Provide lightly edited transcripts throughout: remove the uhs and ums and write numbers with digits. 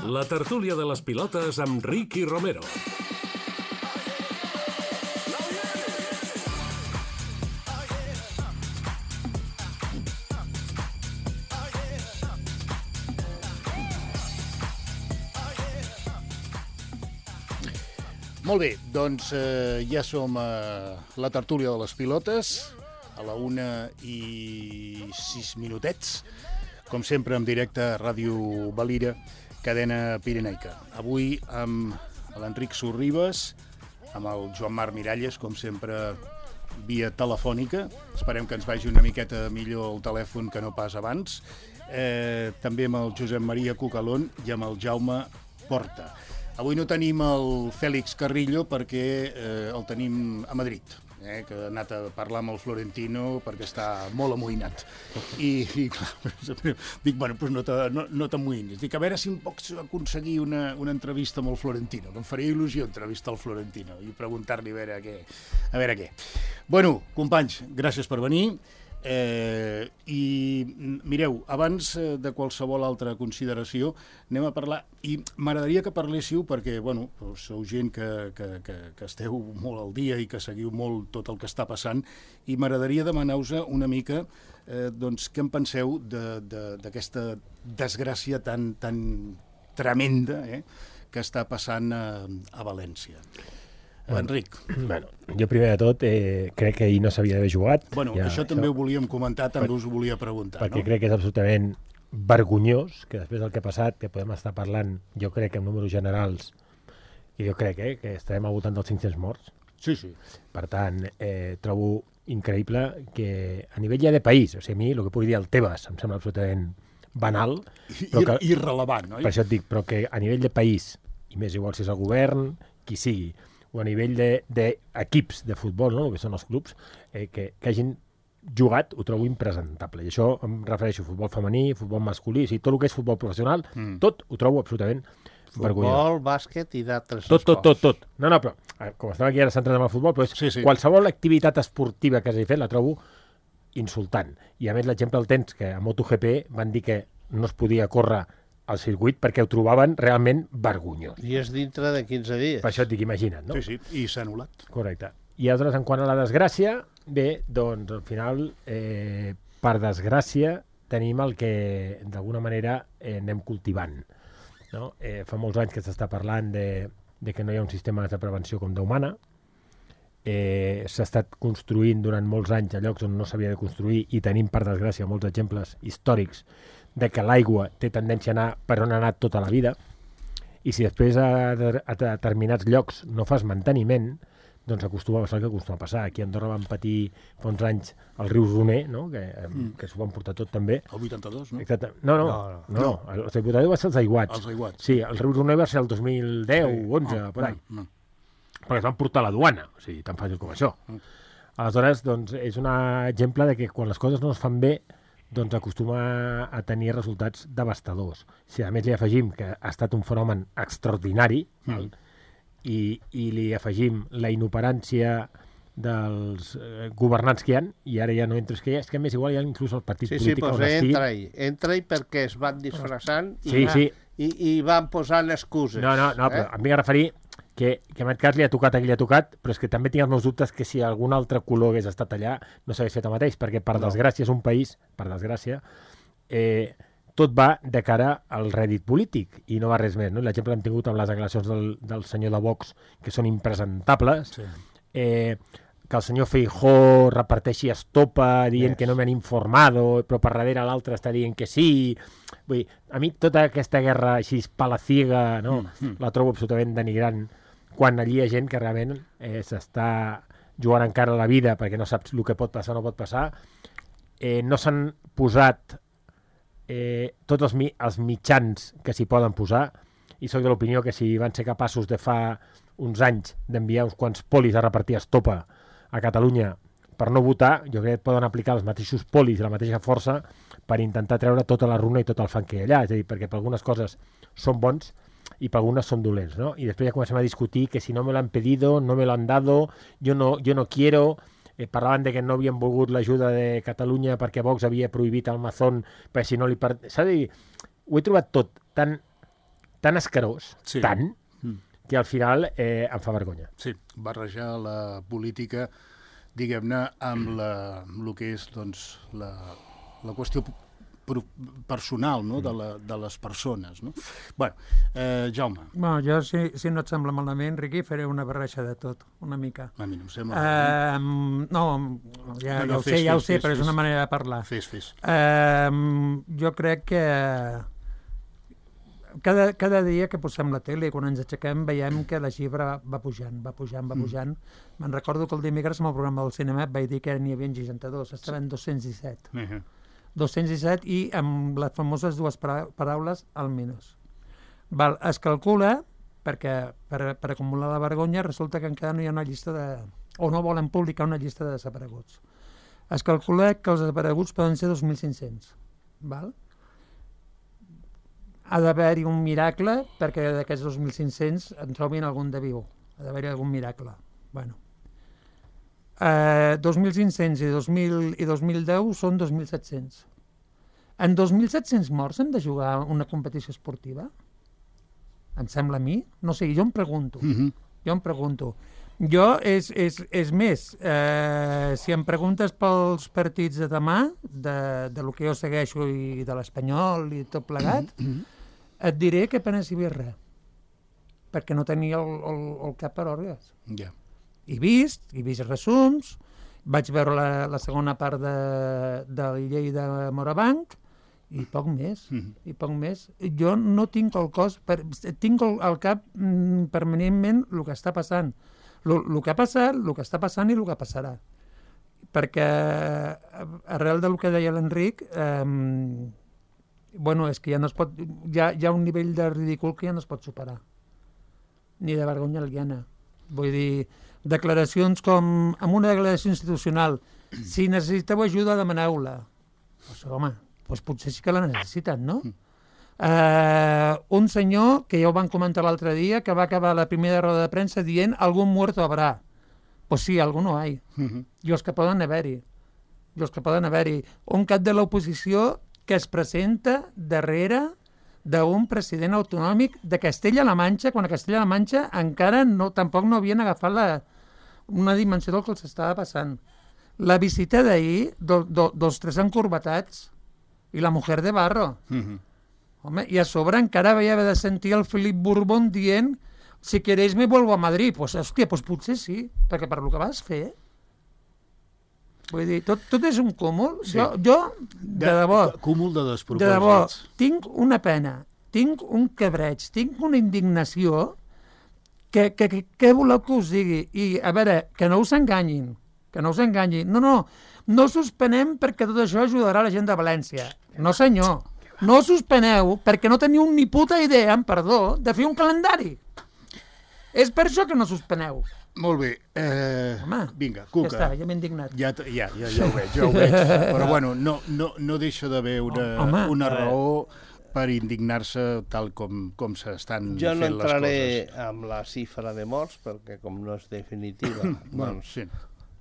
La tertúlia de les pilotes amb Ricky Romero. Molt bé, doncs ja som a la tertúlia de les pilotes, a la 1:06, com sempre en directe a Ràdio Valira, cadena pirenaica. Avui amb l'Enric Sorribas, amb el Joan Marc Miralles, com sempre via telefònica. Esperem que ens vagi una miqueta millor el telèfon que no pas abans. També amb el Josep Maria Cucalón i amb el Jaume Porta. Avui no tenim el Fèlix Carrillo perquè el tenim a Madrid, que ha anat a parlar amb el Florentino perquè està molt amoïnat. I clar, dic, bueno, doncs no t'amoïnis. Dic, a veure si em pots aconseguir una entrevista amb el Florentino, que em faria il·lusió entrevistar el Florentino i preguntar-li a veure què. Bueno, companys, gràcies per venir. I mireu, abans de qualsevol altra consideració anem a parlar, i m'agradaria que parléssiu perquè, bueno, sou gent que esteu molt al dia i que seguiu molt tot el que està passant, i m'agradaria demanar-vos una mica doncs què en penseu d'aquesta desgràcia tan tremenda que està passant a València. Enric. Bueno, jo primer de tot crec que ahir no s'havia d'haver jugat. Bueno, ja, això també ho volíem comentar, també us ho volia preguntar. Perquè crec que és absolutament vergonyós que després del que ha passat, que podem estar parlant, jo crec que en números generals, i jo crec que estarem al voltant dels 500 morts. Sí. Per tant, trobo increïble que a nivell ja de país, o sigui, a mi el que pugui dir el Tebas em sembla absolutament banal. Irrellevant, oi? Per això et dic, però que a nivell de país, i més igual si és el govern, qui sigui, o a nivell d'equips de futbol, no? El que són els clubs, que hagin jugat, ho trobo impresentable. I això em refereixo a futbol femení, futbol masculí, o sigui, tot el que és futbol professional, tot ho trobo absolutament vergonyós. Futbol, bàsquet i d'altres tot. No, però com estava aquí ara centrat en el futbol, però qualsevol activitat esportiva que hagi fet la trobo insultant. I a més l'exemple el tens que a MotoGP van dir que no es podia córrer al circuit perquè ho trobaven realment vergonyós. I és dintre de 15 dies. Per això et dic, imagina't, no? Sí, i s'ha anul·lat. Correcte. I aleshores, en quant a la desgràcia, bé, doncs al final, per desgràcia, tenim el que d'alguna manera anem cultivant. No? Fa molts anys que s'està parlant de que no hi ha un sistema de prevenció com d'humana. S'ha estat construint durant molts anys a llocs on no s'havia de construir i tenim, per desgràcia, molts exemples històrics de que l'aigua té tendència a anar per on ha anat tota la vida, i si després a determinats llocs no fas manteniment, doncs acostuma a passar el que acostuma a passar. Aquí a Andorra van patir fa uns anys el riu Roner, no? que s'ho van portar tot també. El 82, no? Exacte. No. El 82 va ser els aiguats. Els aiguats. Sí, el riu Roner va ser el 2010, 11, per ahí. Perquè es van portar a la duana, o sigui, tan fàcil com això. Aleshores, doncs, és un exemple de que quan les coses no es fan bé, doncs acostuma a tenir resultats devastadors. Si a més li afegim que ha estat un fenomen extraordinari, i li afegim la inoperància dels governants que hi ha, i ara ja no entres que hi ha, és que a més igual hi ha inclús el partit polític on estigui. Entra-hi perquè es van disfressant i van posant excuses. No, però em vinc a referir que en aquest cas li ha tocat a qui li ha tocat, però és que també tinc els meus dubtes que si algun altre color hagués estat allà no s'hagués fet el mateix, perquè per desgràcia és un país, per desgràcia, tot va de cara al rèdit polític i no va res més. No? L'exemple l'hem tingut amb les declaracions del senyor de Vox, que són impresentables, que el senyor Feijóo reparteixi estopa dient que no m'han informado, però per darrere l'altre està dient que sí. Vull dir, a mi tota aquesta guerra així palaciega, no? La trobo absolutament denigrant, quan allí hi ha gent que realment s'està jugant encara la vida perquè no saps el que pot passar o no pot passar. No s'han posat tots els mitjans que s'hi poden posar, i soc de l'opinió que si van ser capaços de fa uns anys d'enviar uns quants polis a repartir estopa a Catalunya per no votar, jo crec que poden aplicar els mateixos polis i la mateixa força per intentar treure tota la runa i tot el fang que hi ha allà. És a dir, perquè per algunes coses són bons i per algunes són dolents, ¿no? I després ja comencem a discutir que si no me lo han pedido, no me lo han dado, yo no quiero. Parlaven de que no havien volgut l'ajuda de Catalunya perquè Vox havia prohibit el Mazón, perquè si no li... S'ha de dir, ho he trobat tot tan tan escarós, Sí. tant, que al final em fa vergonya. Sí, barrejar la política, diguem-ne, amb el que és doncs, la qüestió personal, no? de les persones. No? Bueno, Jaume, Bueno, jo, si no et sembla malament, Riqui, faré una barreja de tot, una mica. a mi no em sembla... No, ja ho fes, sé, ja ho fes, sé, fes, però és fes. una manera de parlar. Fes. Jo crec que cada dia que posem la tele, quan ens aixequem, veiem que la xifra va pujant. Me'n recordo que el dimecres, amb el programa del cinema, vaig dir que n'hi havia 62, estaven 217. 217 i amb les famoses dues paraules al minus. Es calcula, perquè per acumular la vergonya resulta que encara no hi ha una llista de... o no volen publicar una llista de desapareguts. Es calcula que els desapareguts poden ser 2.500. Val? Ha d'haver-hi un miracle perquè d'aquests 2.500 en trobin algun de viu. Ha d'haver-hi algun miracle. Bueno. 2.500 i 2010 són 2.700. En 2.700 morts hem de jugar una competició esportiva? Em sembla a mi? No sé, jo em pregunto. Jo, és més, si em preguntes pels partits de demà, de lo que jo segueixo i de l'Espanyol i tot plegat, et diré que apenas hi havia res, perquè no tenia el cap per òrgans. Ja. He vist resums, vaig veure la segona part de la llei de Morabanc i poc més. Jo no tinc el cos, tinc al cap permanentment el que està passant. El que ha passat, el que està passant i el que passarà. Perquè arrel del que deia l'Enric, és que ja no es pot, hi ha un nivell de ridícul que ja no es pot superar. Ni de vergonya aliena. Vull dir, declaracions com, amb una declaració institucional, si necessiteu ajuda, demaneu-la. Home, potser sí que la necessiten, no? Un senyor, que ja ho van comentar l'altre dia, que va acabar la primera roda de premsa dient algún muerto habrá. Pues sí, alguno hay. I els que poden haver-hi. Un cap de l'oposició que es presenta darrere d'un president autonòmic de Castella-La Manxa, quan a Castella-La Manxa encara tampoc no havien agafat una dimensió del que els estava passant. La visita d'ahir dels tres encorbatats i la mujer de barro. Home, i a sobre encara vaig haver de sentir el Felip Borbón dient si queréis me vuelvo a Madrid. Pues potser sí, perquè per lo que vas fer... Vull dir, tot és un cúmul. Sí. Jo, de debò... Cúmul de despropòsits. De debò, tinc una pena, tinc un cabreig, tinc una indignació que voleu que us digui. I, a veure, que no us enganyin. No suspenem perquè tot això ajudarà la gent de València. No, senyor. No suspeneu perquè no teniu ni puta idea, amb perdó, de fer un calendari. És per això que no suspeneu. Molt bé. Home, vinga, Cuca. Ja està, ja m'he indignat. Ja ho veig. Però bueno, no deixa d'haver una raó per indignar-se tal com s'estan fent les coses. Jo no entraré amb la xifra de morts, perquè com no és definitiva, doncs sí.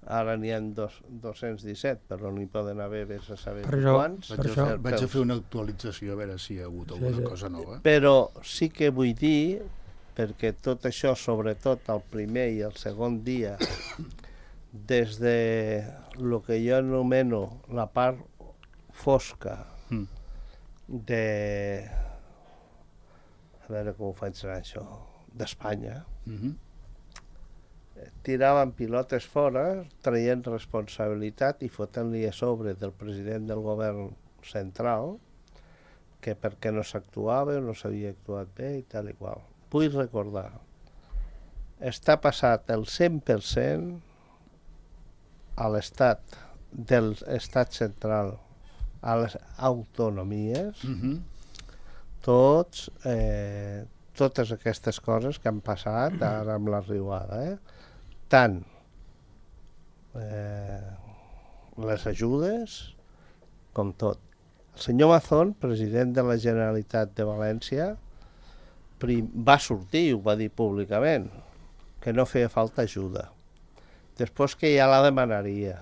Ara n'hi ha 217, però n'hi poden haver vés a saber quants. Vaig a fer una actualització a veure si hi ha hagut alguna cosa nova. Però sí que vull dir, perquè tot això, sobretot el primer i el segon dia, des de el que jo anomeno la part fosca de... A veure com ho faig anar, això, d'Espanya, tiraven pilotes fora, traient responsabilitat i fotent-li a sobre del president del govern central que perquè no s'actuava o no s'havia actuat bé i tal i qual. Vull recordar, està passat el 100% a l'estat del estat central, a les autonomies, totes aquestes coses que han passat ara amb la riuada, tant les ajudes com tot. El senyor Mazón, president de la Generalitat de València, va sortir i ho va dir públicament, que no feia falta ajuda. Després que ja la demanaria.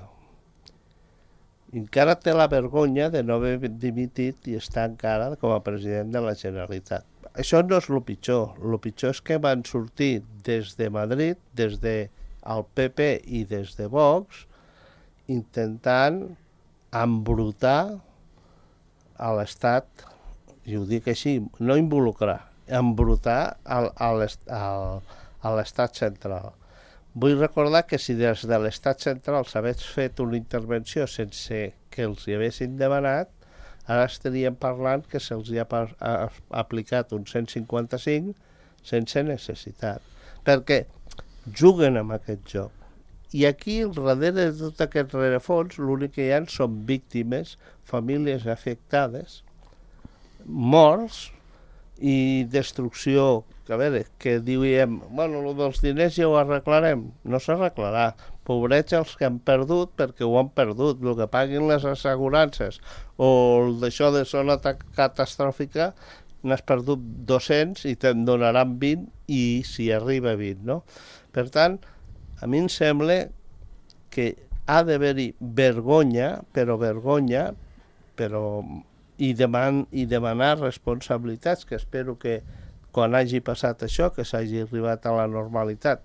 I encara té la vergonya de no haver dimitit i estar encara com a president de la Generalitat. això no és el pitjor. El pitjor és que van sortir des de Madrid, des del PP i des de Vox, intentant embrutar a l'Estat, i ho dic així, no involucrar, embrutar a l'Estat central. Vull recordar que si des de l'Estat central s'hagués fet una intervenció sense que els hi haguessin demanat, ara estaríem parlant que se'ls hi ha aplicat un 155 sense necessitat, perquè juguen amb aquest joc. I aquí, darrere de tot aquest rerefons, l'únic que hi ha són víctimes, famílies afectades, morts i destrucció. Que a veure, que diuen, bueno, el dels diners ja ho arreglarem. No s'arreglarà. Pobrets els que han perdut perquè ho han perdut. El que paguin les assegurances o d'això de zona catastròfica, n'has perdut 200 i te'n donaran 20 i si arriba 20, no? Per tant, a mi em sembla que ha d'haver-hi vergonya, i demanar responsabilitats, que espero que quan hagi passat això, que s'hagi arribat a la normalitat,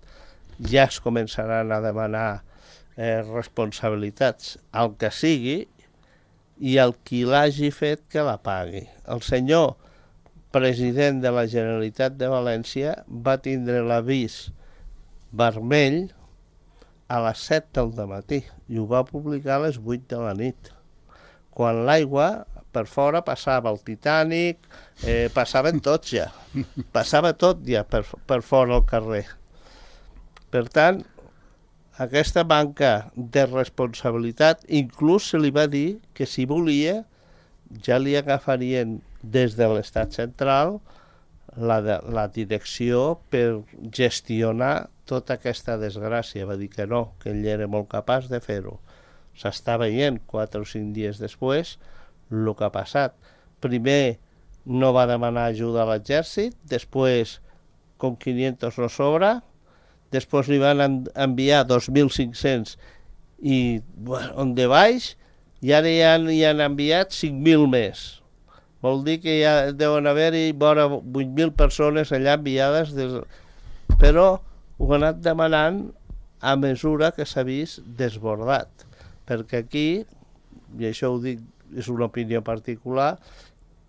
ja es començaran a demanar responsabilitats al que sigui i el qui l'hagi fet que la pagui. El senyor president de la Generalitat de València va tindre l'avís vermell a les 7 del dematí i ho va publicar a les 8 de la nit, quan l'aigua per fora passava el Titanic, passaven tots ja, passava tot ja per fora al carrer. Per tant, aquesta manca de responsabilitat, inclús se li va dir que si volia ja li agafarien des de l'Estat central la direcció per gestionar tota aquesta desgràcia. Va dir que no, que ell era molt capaç de fer-ho. S'està veient 4 o 5 dies després el que ha passat. Primer no va demanar ajuda a l'exèrcit, després com 500 no sobra, després li van enviar 2.500 i on de baix, i ara ja n'hi han enviat 5.000 més. Vol dir que ja deuen haver-hi vora 8.000 persones allà enviades, però ho han anat demanant a mesura que s'ha vist desbordat. Perquè aquí, i això ho dic, és una opinió particular,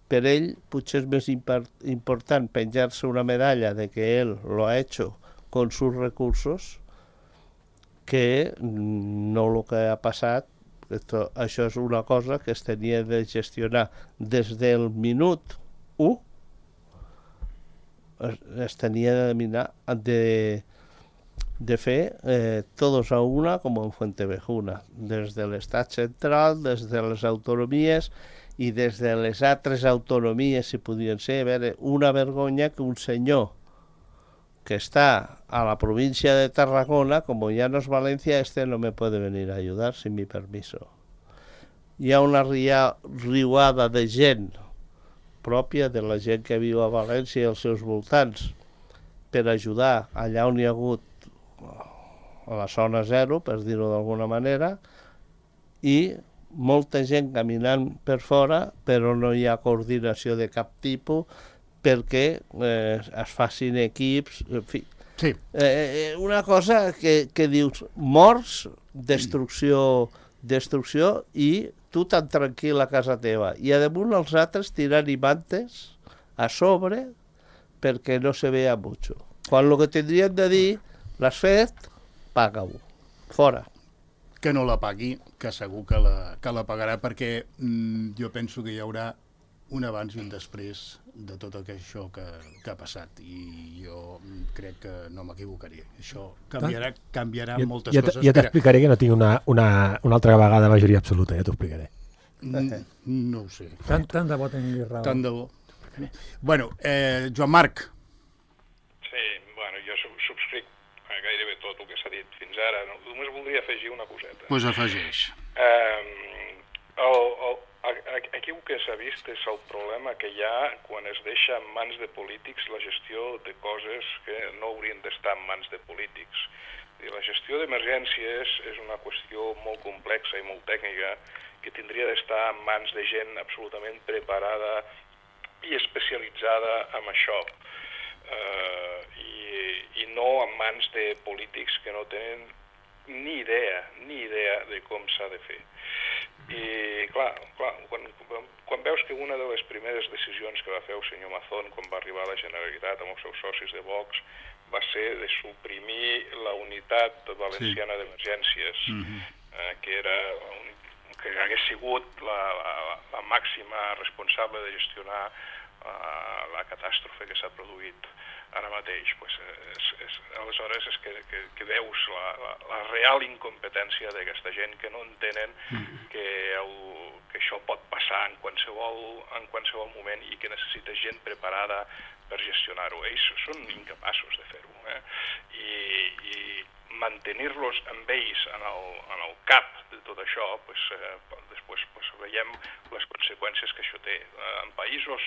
per ell potser és més important penjar-se una medalla de que ell lo ha hecho con sus recursos que no el que ha passat. Això és una cosa que es tenia de gestionar des del minut 1, es tenia de fer todos a una com en Fuentevejuna, des de l'Estat central, des de les autonomies i des de les altres autonomies, si podien ser. A veure, una vergonya que un senyor que està a la província de Tarragona, como ya no es Valencia, no me puede venir a ayudar sin mi permiso. Hi ha una riuada de gent pròpia de la gent que viu a València i als seus voltants per ajudar allà on hi ha hagut a la zona zero, per dir-ho d'alguna manera, i molta gent caminant per fora, però no hi ha coordinació de cap tipus perquè es facin equips, en fi. Sí. Una cosa que dius, morts, destrucció i tu tan tranquil a casa teva. I a damunt els altres tirant-hi mantes a sobre perquè no se vea mucho. Quan el que tindrien de dir, l'has fet, paga-ho. Fora. Que no la pagui, que segur que la pagarà, perquè jo penso que hi haurà un abans i un després de tot això que ha passat, i jo crec que no m'equivocaré. Això canviarà moltes coses. Ja t'explicaré que no tinc una altra vegada majoria absoluta, ja t'ho explicaré. No ho sé. Tant de bo tingui raó. Tant de bo. Bueno, Joan Marc. Sí, bueno, jo subscric gairebé tot el que s'ha dit fins ara. Només voldria afegir una coseta. Doncs afegeix. Aquí el que s'ha vist és el problema que hi ha quan es deixa en mans de polítics la gestió de coses que no haurien d'estar en mans de polítics. La gestió d'emergències és una qüestió molt complexa i molt tècnica que tindria d'estar en mans de gent absolutament preparada i especialitzada en això, i no en mans de polítics que no tenen ni idea de com s'ha de fer. I clar, quan veus que una de les primeres decisions que va fer el senyor Mazón quan va arribar a la Generalitat amb els seus socis de Vox va ser de suprimir la unitat valenciana d'emergències, que hagués sigut la màxima responsable de gestionar la catàstrofe que s'ha produït ara mateix. Aleshores és que veus la real incompetència d'aquesta gent que no entenen que això pot passar en qualsevol moment i que necessita gent preparada per gestionar-ho. Ells són incapaços de fer-ho. I mantenir-los amb ells en el cap de tot això, després veiem les conseqüències que això té. En països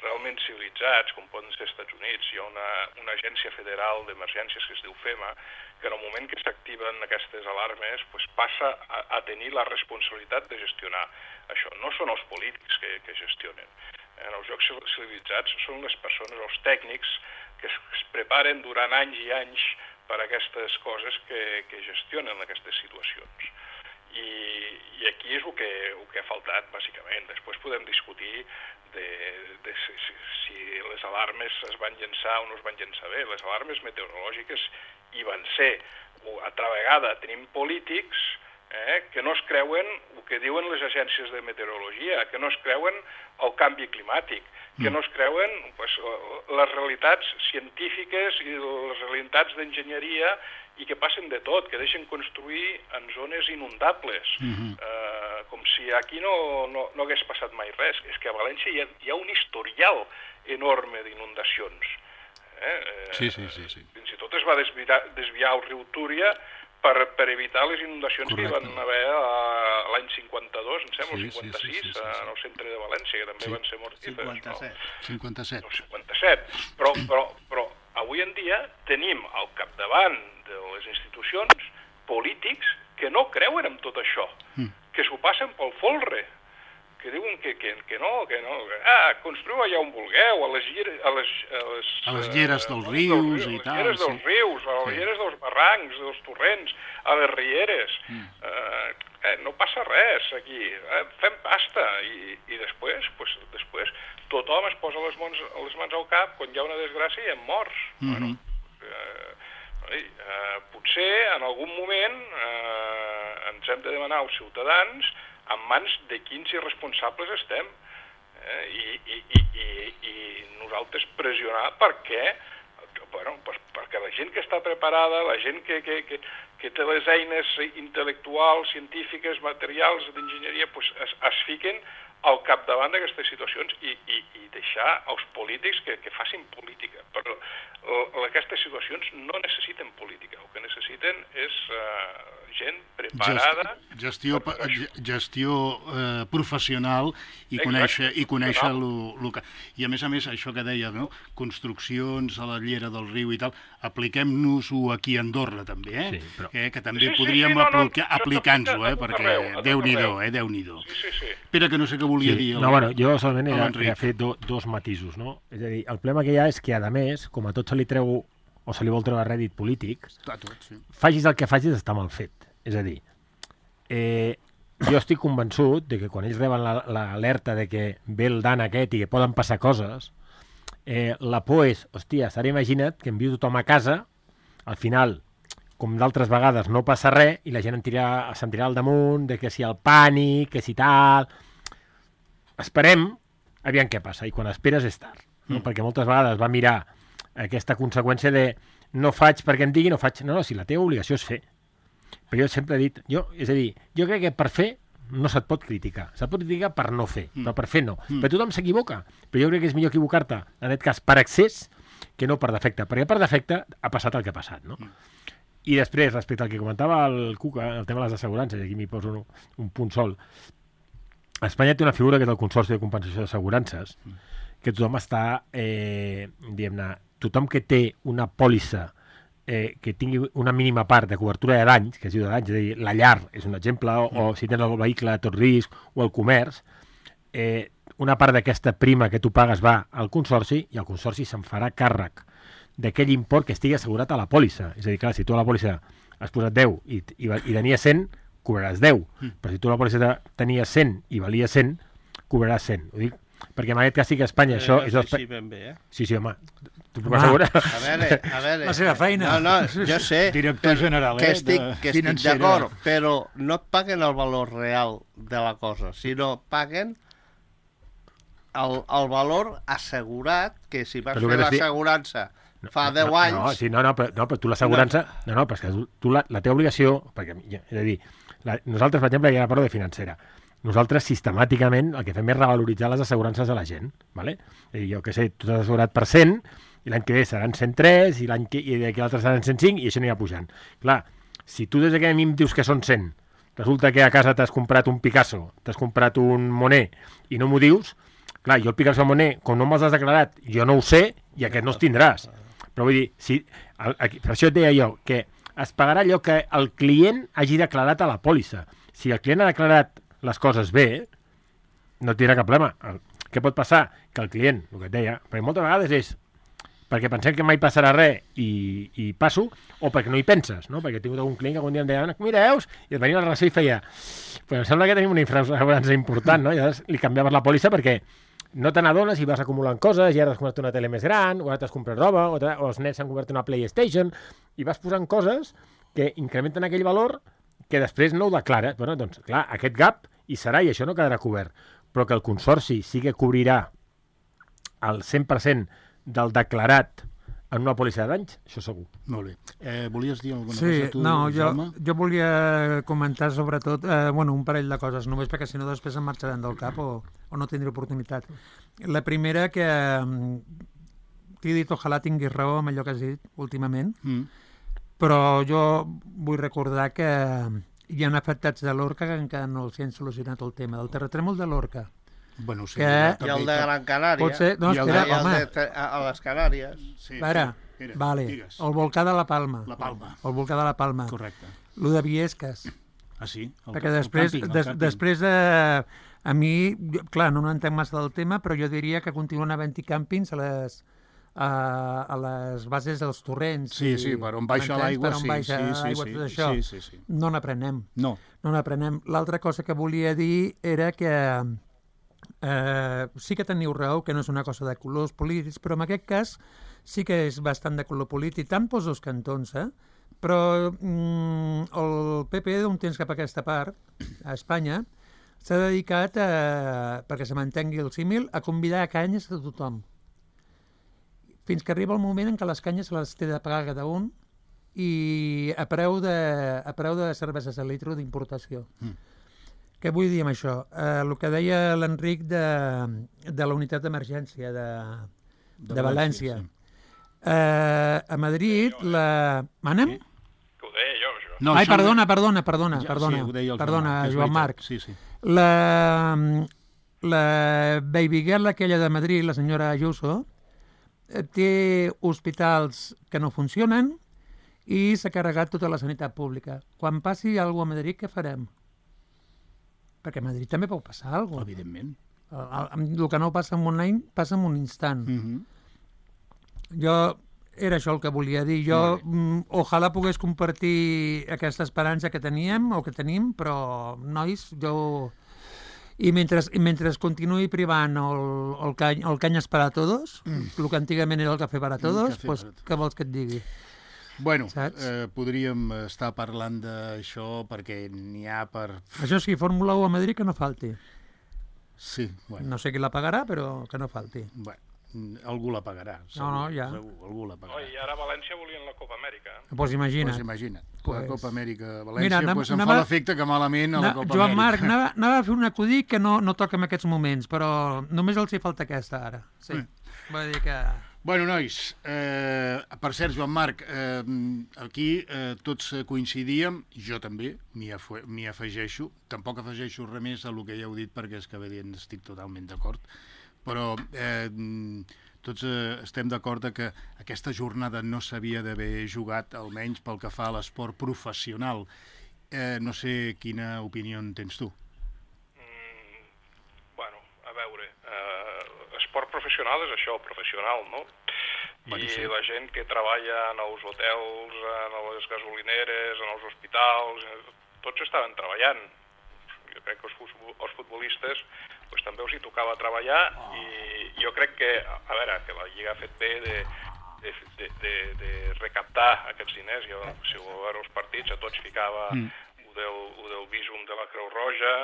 realment civilitzats, com poden ser els Estats Units, hi ha una agència federal d'emergències que es diu FEMA, que en el moment que s'activen aquestes alarmes passa a tenir la responsabilitat de gestionar això. No són els polítics que gestionen. En els llocs civilitzats són les persones, els tècnics, que es preparen durant anys i anys per a aquestes coses que gestionen aquestes situacions. I aquí és el que ha faltat, bàsicament. Després podem discutir de si les alarmes es van llançar o no es van llançar bé. Les alarmes meteorològiques hi van ser. Altra vegada tenim polítics que no es creuen el que diuen les agències de meteorologia, que no es creuen el canvi climàtic, que no es creuen les realitats científiques i les realitats d'enginyeria i que passen de tot, que deixen construir en zones inundables, com si aquí no hagués passat mai res. És que a València hi ha un historial enorme d'inundacions. Sí. Fins i tot es va desviar el riu Túria per evitar les inundacions que hi van haver l'any 52, em sembla, o 56, en el centre de València, que també van ser mortíferes. 57. 57. Però avui en dia tenim al capdavant de les institucions polítics que no creuen en tot això, que s'ho passen pel folre, que diuen que no, construïu allà on vulgueu, a les lleres dels rius i tal. A les lleres dels rius, a les lleres dels barrancs, dels torrents, a les rieres. No passa res aquí, fem pasta. I després tothom es posa les mans al cap quan hi ha una desgràcia i hem morts. Potser en algun moment ens hem de demanar als ciutadans en mans de quins irresponsables estem i nosaltres pressionar perquè la gent que està preparada, la gent que té les eines intel·lectuals, científiques, materials, d'enginyeria, es fiquen al capdavant d'aquestes situacions i deixar els polítics que facin política. Però aquestes situacions no necessiten política, el que necessiten és gent preparada... Gestió professional i conèixer el que... I a més, això que deia, no? Construccions a la llera del riu i tal, apliquem-nos-ho aquí a Andorra, també, que també podríem aplicar-nos-ho, perquè Déu-n'hi-do, Déu-n'hi-do. Espera, que no sé què volia dir. Jo solament he fet dos matisos, no? És a dir, el problema que hi ha és que, a més, com a tot se li treu o se li vol treure rèdit polític, facis el que facis està mal fet. És a dir, jo estic convençut de que quan ells reben l'alerta de que ve el dan aquest i que poden passar coses, la por és, hòstia, ara imagina't que envio tothom a casa, al final, com d'altres vegades, no passa res i la gent se'n tirarà al damunt, de que si el pànic, que si tal... Esperem, aviam què passa, i quan esperes és tard, no? Perquè moltes vegades va mirar aquesta conseqüència de no faig perquè em digui, no faig... No, si la teva obligació és fer. Però jo sempre he dit... És a dir, jo crec que per fer no se't pot criticar. Se't pot criticar per no fer, però per fer no. Però tothom s'equivoca. Però jo crec que és millor equivocar-te, en aquest cas, per excés, que no per defecte. Perquè per defecte ha passat el que ha passat, no? I després, respecte al que comentava el Cuca, el tema de les assegurances, i aquí m'hi poso un punt sol, Espanya té una figura que és el Consorci de Compensació d'Assegurances, que tothom està, diguem-ne, tothom que té una pòlissa que tingui una mínima part de cobertura de danys, que es diu de danys, és a dir, la llar és un exemple, o si tens el vehicle de tot risc, o el comerç, una part d'aquesta prima que tu pagues va al consorci i el consorci se'n farà càrrec d'aquell import que estigui assegurat a la pòlissa. És a dir, clar, si tu a la pòlissa has posat 10 i tenia 100, cobraràs 10. Però si tu a la pòlissa tenies 100 i valia 100, cobraràs 100. Ho dic perquè en aquest cas sí que a Espanya això... És així ben bé, eh? Sí, home, t'ho puc assegurar. A veure... La seva feina. No, jo sé Director general, que estic financera. d'acord, però no et paguen el valor real de la cosa, sinó paguen el valor assegurat, que si vas fer l'assegurança fa 10 anys... però tu l'assegurança... No, però és que tu la teva obligació... Perquè, és a dir, nosaltres, per exemple, ja parlo de financera. Nosaltres, sistemàticament, el que fem és revaloritzar les assegurances de la gent. ¿Vale? És a dir, jo què sé, tu t'has assegurat per 100, i l'any que ve seran 103, i d'aquí l'altre seran 105, i això anirà pujant. Clar, si tu des que a mi em dius que són 100, resulta que a casa t'has comprat un Picasso, t'has comprat un Monet, i no m'ho dius, clar, jo el Picasso o Monet, com no me'ls has declarat, jo no ho sé, i aquest no els tindràs. Però vull dir, per això et deia jo, que es pagarà allò que el client hagi declarat a la pòlissa. Si el client ha declarat les coses bé, no tindrà cap problema. Què pot passar? Que el client, el que et deia, perquè moltes vegades és perquè pensem que mai passarà res i passo, o perquè no hi penses, no? Perquè he tingut algun client que algun dia em deia, mira, veus? I et venia la relació i feia, però em sembla que tenim una infraassegurança important, no? I llavors li canviaves la pòlissa perquè no te n'adones i vas acumulant coses, i ara t'has comprat una tele més gran, o ara t'has comprat roba, o els nets s'han comprat una PlayStation, i vas posant coses que incrementen aquell valor que després no ho declara. Bueno, doncs, clar, aquest gap hi serà i això no quedarà cobert. Però que el consorci sí que cobrirà el 100% del declarat en una pòlissa de danys, això segur. Molt bé. Volies dir alguna cosa tu, Jaume? Jo volia comentar sobretot un parell de coses, només perquè si no després em marxaran del cap o no tindré oportunitat. La primera, que t'he dit ojalà tinguis raó amb allò que has dit últimament, però jo vull recordar que hi ha afectats de Lorca que encara no els han solucionat el tema del terratrèmol de Lorca. Bueno, sí, i el de Gran Canària. Pot ser... No, espera, home. A les Canàries. Sí, Espera, vale. Digues. El volcà de la Palma. La Palma. El volcà de la Palma. Correcte. Lo de Viesques. Ah, sí? Perquè després de... A mi, clar, no entenc massa del tema, però jo diria que continuen havent-hi càmpings a les bases dels torrents. Sí, per on baixa l'aigua, per on baixa l'aigua, tot això. Sí. No n'aprenem. No n'aprenem. L'altra cosa que volia dir era que sí que teniu raó, que no és una cosa de colors polítics, però en aquest cas sí que és bastant de color polític, tant pels dos cantons, però el PP d'un temps cap a aquesta part, a Espanya, s'ha dedicat, perquè se mantengui el símil, a convidar a canyes a tothom. Fins que arriba el moment en què les canyes se les té de pagar cada un i a preu de cerveses a litre d'importació. Què vull dir amb això? El que deia l'Enric de la unitat d'emergència de València. Sí. A Madrid, Manem? Que ho deia jo, això. No, ai, perdona, Joan Marc. Sí. La baby girl aquella de Madrid, la senyora Ayuso, té hospitals que no funcionen i s'ha carregat tota la sanitat pública. Quan passi alguna cosa a Madrid, què farem? Perquè a Madrid també pot passar alguna cosa. Evidentment. El que no passa en un any, passa en un instant. Jo era això el que volia dir. Jo ojalà pogués compartir aquesta esperança que teníem o que tenim, però, nois, jo... I mentre continuï privant el canyes para todos, el que antigament era el cafè para todos, pues, què vols que et digui? Bueno, podríem estar parlant d'això perquè n'hi ha per... Això sí, Fórmula 1 a Madrid que no falti. Sí, bueno. No sé qui la pagarà, però que no falti. Bueno, algú la pagarà. Segur, no, ja. Segur, algú la pagarà. I ara a València volien la Copa Amèrica. Pues imagina't. La Copa Amèrica a València, em fa l'efecte que malament a la Copa Joan Amèrica. Marc, anava a fer un acudit que no toca en aquests moments, però només els hi falta aquesta ara. Sí. Vull dir que... Bueno, nois, per cert, Joan Marc, aquí tots coincidíem, jo també m'hi afegeixo, tampoc afegeixo res més a el que ja heu dit perquè és que estic totalment d'acord, però tots estem d'acord que aquesta jornada no s'havia d'haver jugat, almenys pel que fa a l'esport professional. No sé quina opinió en tens tu. Bueno, a veure, professional és això, professional, no? I la gent que treballa en els hotels, en les gasolineres, en els hospitals, tots estaven treballant. Jo crec que els futbolistes pues, també els hi tocava treballar i jo crec que, a veure, que la Lliga ha fet bé de recaptar aquests diners. Jo, si ho veure els partits, a tots ficava del Visum de la Creu Roja.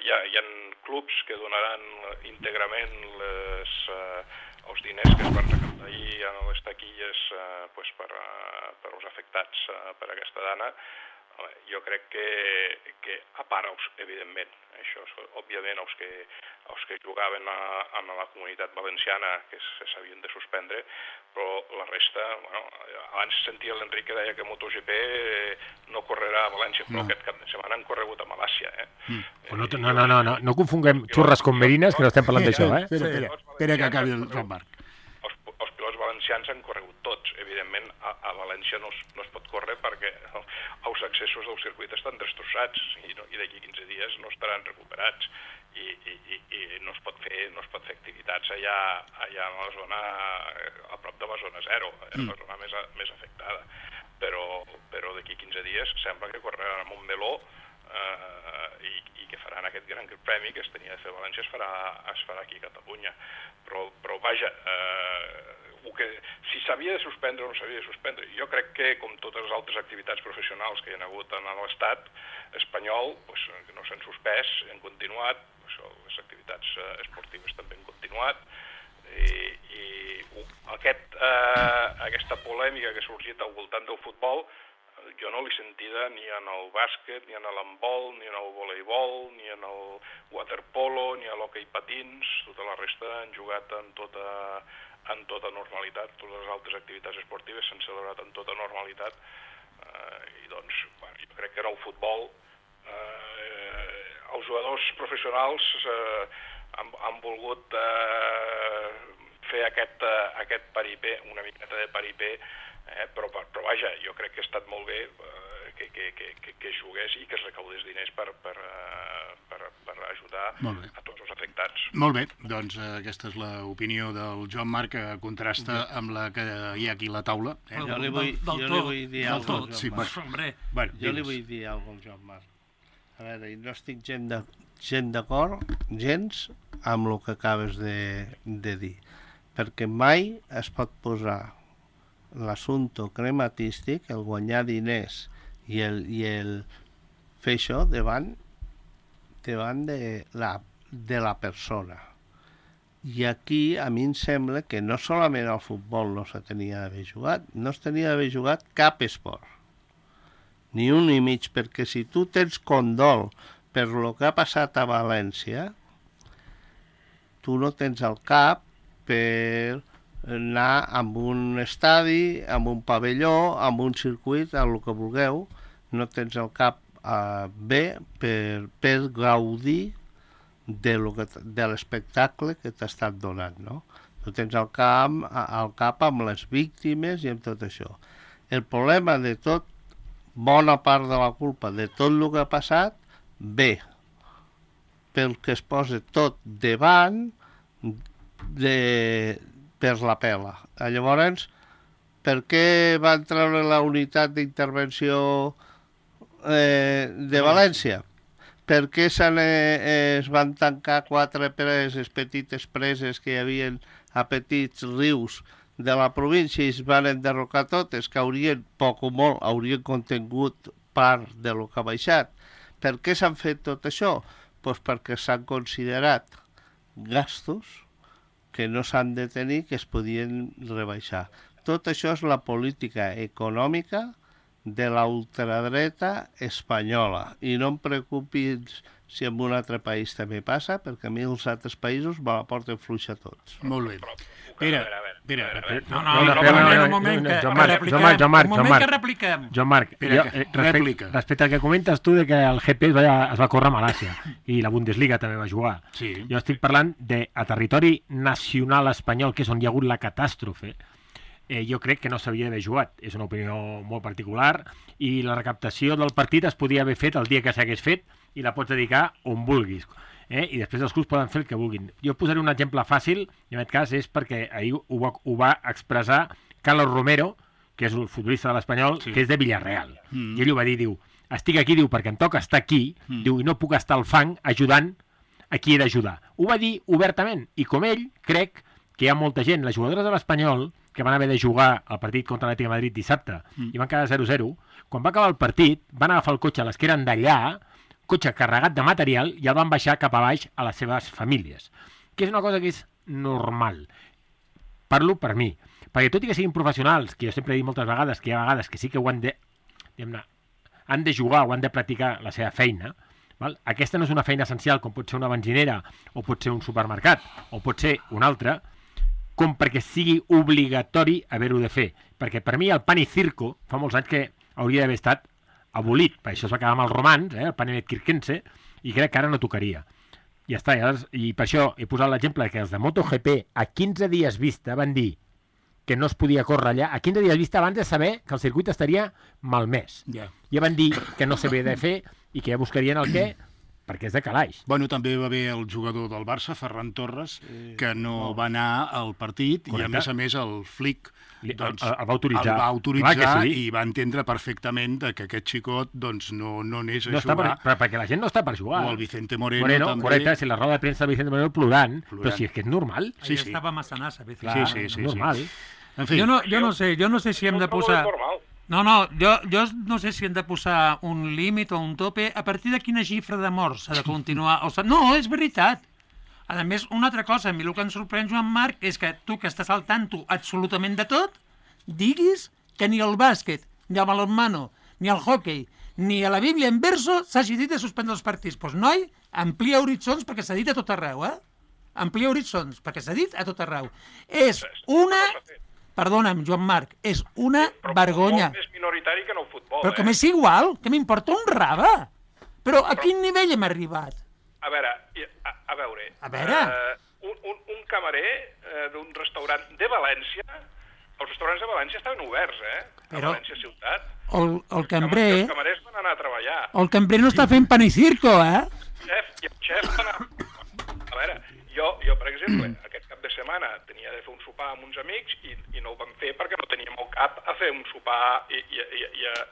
Hi ha clubs que donaran íntegrament els diners que es van recaptar ahir en les taquilles pues, per als afectats per aquesta dana. Jo crec que a part, evidentment, això, òbviament, els que jugaven a la comunitat valenciana, que s'havien de suspendre, però la resta, bueno, abans sentia l'Enric que deia que MotoGP no correrà a València, però aquest cap de setmana han corregut a Malàcia, No confonguem xurres com merines, que no estem parlant d'això, Espera que acabi el Joan-Marc. Els pilots valencians han corregut tots. Evidentment, a València no es pot córrer perquè els accessos del circuit estan destrossats i d'aquí 15 dies no estaran recuperats i no es pot fer activitats allà a la zona, a prop de la zona zero, la zona més afectada. Però d'aquí 15 dies sembla que correran a Montmeló i que faran aquest gran premi que es tenia de fer a València es farà aquí a Catalunya. Però vaja, si s'havia de suspendre o no s'havia de suspendre, jo crec que com totes les altres activitats professionals que hi ha hagut en l'estat espanyol, pues, no s'han suspès, han continuat, les activitats esportives també han continuat, i aquesta polèmica que ha sorgit al voltant del futbol jo no l'he sentida ni en el bàsquet, ni en l'handbol, ni en el voleibol, ni en el waterpolo, ni a l'hoquei patins. Tota la resta han jugat en tota normalitat. Totes les altres activitats esportives s'han celebrat en tota normalitat. I doncs, bueno, jo crec que en el futbol els jugadors professionals han volgut fer aquest paripé, una miqueta de paripé, però vaja, jo crec que ha estat molt bé que es jugués i que es recaudés diners per ajudar a tots els afectats. Molt bé, doncs aquesta és l'opinió del Joan-Marc, que contrasta amb la que hi ha aquí a la taula. Jo li vull dir alguna cosa. Jo li vull dir alguna cosa al Joan-Marc. A veure, no estic gens d'acord, gens, amb el que acabes de dir, perquè mai es pot posar l'assumpte crematístic, el guanyar diners i el fer això davant de la persona. I aquí a mi em sembla que no solament el futbol no se tenia d'haver jugat, no es tenia d'haver jugat cap esport, ni un ni mig, perquè si tu tens condol per el que ha passat a València, tu no tens el cap per anar amb un estadi, amb un pavelló, amb un circuit, amb el que vulgueu, no tens el cap bé per gaudir de l'espectacle que t'ha estat donat, no? Tu tens el cap amb les víctimes i amb tot això. El problema de tot, bona part de la culpa de tot el que ha passat, ve pel que es posa tot davant per la pela. Llavors, per què van treure la unitat d'intervenció de València? Per què es van tancar 4 preses, petites preses que hi havia a petits rius de la província i es van enderrocar totes, que haurien, poc o molt, haurien contingut part de lo que ha baixat. Per què s'han fet tot això? Doncs perquè s'han considerat gastos que no s'han de tenir, que es podien rebaixar. Tot això és la política econòmica de la ultradreta espanyola. I no em preocupis si en un altre país també passa, perquè a mi els altres països me la porten fluixa tots. Molt bé. Espera. Un moment que repliquem. Joan-Marc, respecte al que comentes tu de que el GP es va córrer a Malàcia i la Bundesliga també va jugar. Sí. Jo estic parlant a territori nacional espanyol, que és on hi ha hagut la catàstrofe. Jo crec que no s'havia d'haver jugat. És una opinió molt particular i la recaptació del partit es podia haver fet el dia que s'hagués fet i la pots dedicar on vulguis. i després els clubs poden fer el que vulguin. Jo posaré un exemple fàcil, i en aquest cas és perquè ahir ho va expressar Carlos Romero, que és el futbolista de l'Espanyol, que és de Villarreal. I ell ho va dir, diu, estic aquí, diu, perquè em toca estar aquí, diu, i no puc estar al fang ajudant a qui he d'ajudar. Ho va dir obertament, i com ell, crec que hi ha molta gent, les jugadores de l'Espanyol, que van haver de jugar al partit contra l'Atlètic de Madrid dissabte, i van quedar 0-0, quan va acabar el partit, van agafar el cotxe a les que eren d'allà, cotxe carregat de material, i el van baixar cap a baix a les seves famílies. Que és una cosa que és normal. Parlo per mi. Perquè tot i que siguin professionals, que jo sempre he dit moltes vegades, que hi ha vegades que sí que ho han de, han de jugar o han de practicar la seva feina, val? Aquesta no és una feina essencial com pot ser una benzinera o pot ser un supermercat o pot ser un altre, com perquè sigui obligatori haver-ho de fer. Perquè per mi el pan i circo fa molts anys que hauria d'haver estat abolit. Per això es va quedar amb els romans, el pan i circense, i crec que ara no tocaria. Ja està, i per això he posat l'exemple que els de MotoGP a 15 dies vista van dir que no es podia córrer allà, a 15 dies vista abans de saber que el circuit estaria malmès. Ja van dir que no s'havia de fer i que ja buscarien el què, perquè és de calaix. Bueno, també va haver el jugador del Barça, Ferran Torres, que no va anar al partit. Correcte. I a més el Flick doncs, el va autoritzar i va entendre perfectament que aquest xicot doncs, no anés a jugar. Però perquè la gent no està per jugar. O el Vicente Moreno també. Correcte, si la roda de premsa del Vicente Moreno plorant, però si és que és normal. Sí. Estava massa nasa. Sí. Normal. En fi. Jo no sé si hem de posar... No, jo no sé si hem de posar un límit o un tope. A partir de quina xifra de morts s'ha de continuar? No, és veritat. A més, una altra cosa, a mi el que em sorprèn, Joan Marc, és que tu, que estàs al tanto absolutament de tot, diguis que ni el bàsquet, ni el balonmano, ni el hockey, ni a la Bíblia en verso s'hagi dit de suspendre els partits. Doncs, noi, amplia horitzons perquè s'ha dit a tot arreu, Amplia horitzons perquè s'ha dit a tot arreu. És una... Perdona'm, Joan Marc, és una vergonya. Però més minoritari que en el futbol, Però que m'és igual, que m'importa un rave. Però a quin nivell hem arribat? A veure, un camarer d'un restaurant de València, els restaurants de València estaven oberts, a València ciutat. El cambrer... Els camarers van anar a treballar. El cambrer no està fent pan i circo, El xef va anar... A veure, jo, per exemple, aquest cap de setmana tenia de fer un sopar amb uns amics i no ho vam fer perquè no teníem el cap a fer un sopar i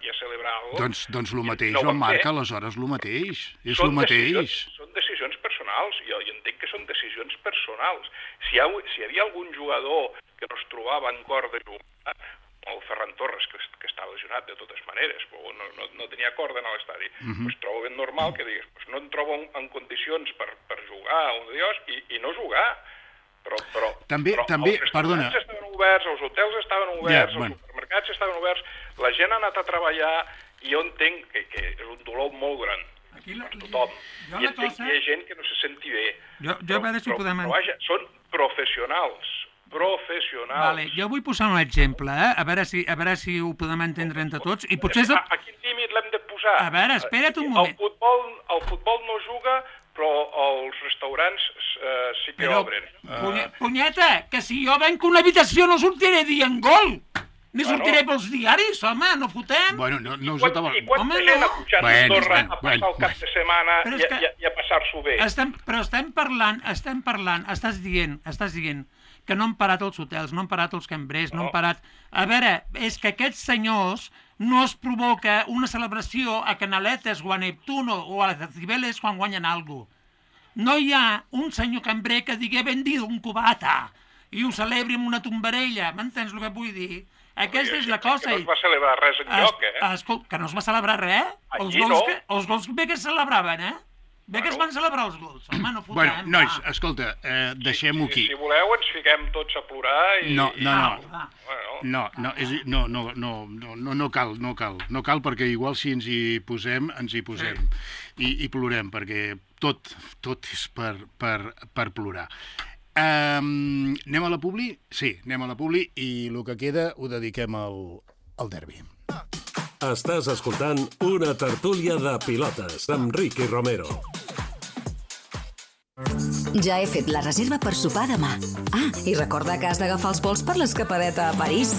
a celebrar alguna cosa. Doncs el mateix, Joan Marc, aleshores el mateix. És el mateix. Són decisions personals. Jo entenc que són decisions personals. Si hi havia algun jugador que no es trobava en cor de jugar, el Ferran Torres, que estava lesionat de totes maneres, però no tenia corda en l'estadi, doncs trobo ben normal que digues, no em trobo en condicions per jugar un dios i no jugar. Però també, els perdona. Estaven oberts, els hotels estaven oberts, els supermercats estaven oberts, la gent ha anat a treballar i jo entenc que és un dolor molt gran per tothom. I entenc que hi ha gent que no se senti bé. Jo a veure si podem... Però vaja, són professionals. Vale, jo vull posar un exemple, a veure si ho podem entendre entre tots. I potser... A quin límit l'hem de posar? A veure, espera't un moment. El futbol no juga, però els restaurants sí que obren. Punyeta, que si jo venc una habitació no sortiré dient gol! Ni sortiré pels diaris, home, no fotem. Bueno, no us acaba... I quanta gent ha pujat a Andorra a passar el cap de setmana i a passar-s'ho bé? Però estem parlant, estàs dient que no han parat els hotels, no han parat els cambrers, no han parat... A veure, és que aquests senyors no es provoca una celebració a Canaletes o a Neptuno o a les Cibeles quan guanyen alguna cosa. No hi ha un senyor cambrer que digui vendido un cubata i ho celebri amb una tombarella, m'entens el que vull dir? Aquesta és la cosa. Que no es va celebrar res enlloc, Escolta, que no es va celebrar res? Els gols bé que es celebraven, Bé que es van celebrar els gols, home, no fotem. Bueno, nois, escolta, deixem-ho aquí. Si voleu ens fiquem tots a plorar i... No cal, perquè igual si ens hi posem, i plorem, perquè tot és per plorar. Anem a la publi? Sí, anem a la publi i el que queda ho dediquem al derbi. Estàs escoltant una tertúlia de pilotes amb Ricky Romero. Ja he fet la reserva per sopar demà. I recorda que has d'agafar els vols per l'escapadeta a París.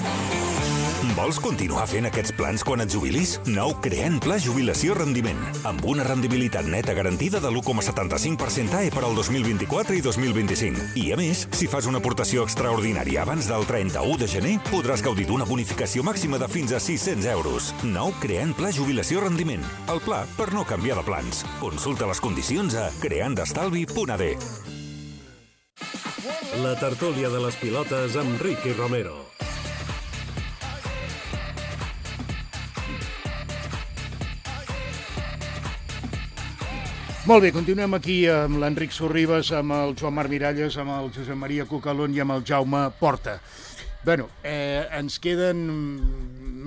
Vols continuar fent aquests plans quan et jubilis? Nou Creant Pla Jubilació Rendiment, amb una rendibilitat neta garantida de l'1,75% AE per al 2024 i 2025. I a més, si fas una aportació extraordinària abans del 31 de gener, podràs gaudir d'una bonificació màxima de fins a 600 euros. Nou Creant Pla Jubilació Rendiment, el pla per no canviar de plans. Consulta les condicions a creandestalvi.ad. La tertúlia de les pilotes amb Ricky Romero. Molt bé, continuem aquí amb l'Enric Sorribas, amb el Joan Marc Miralles, amb el Josep Maria Cucalón i amb el Jaume Porta. Bé, ens queden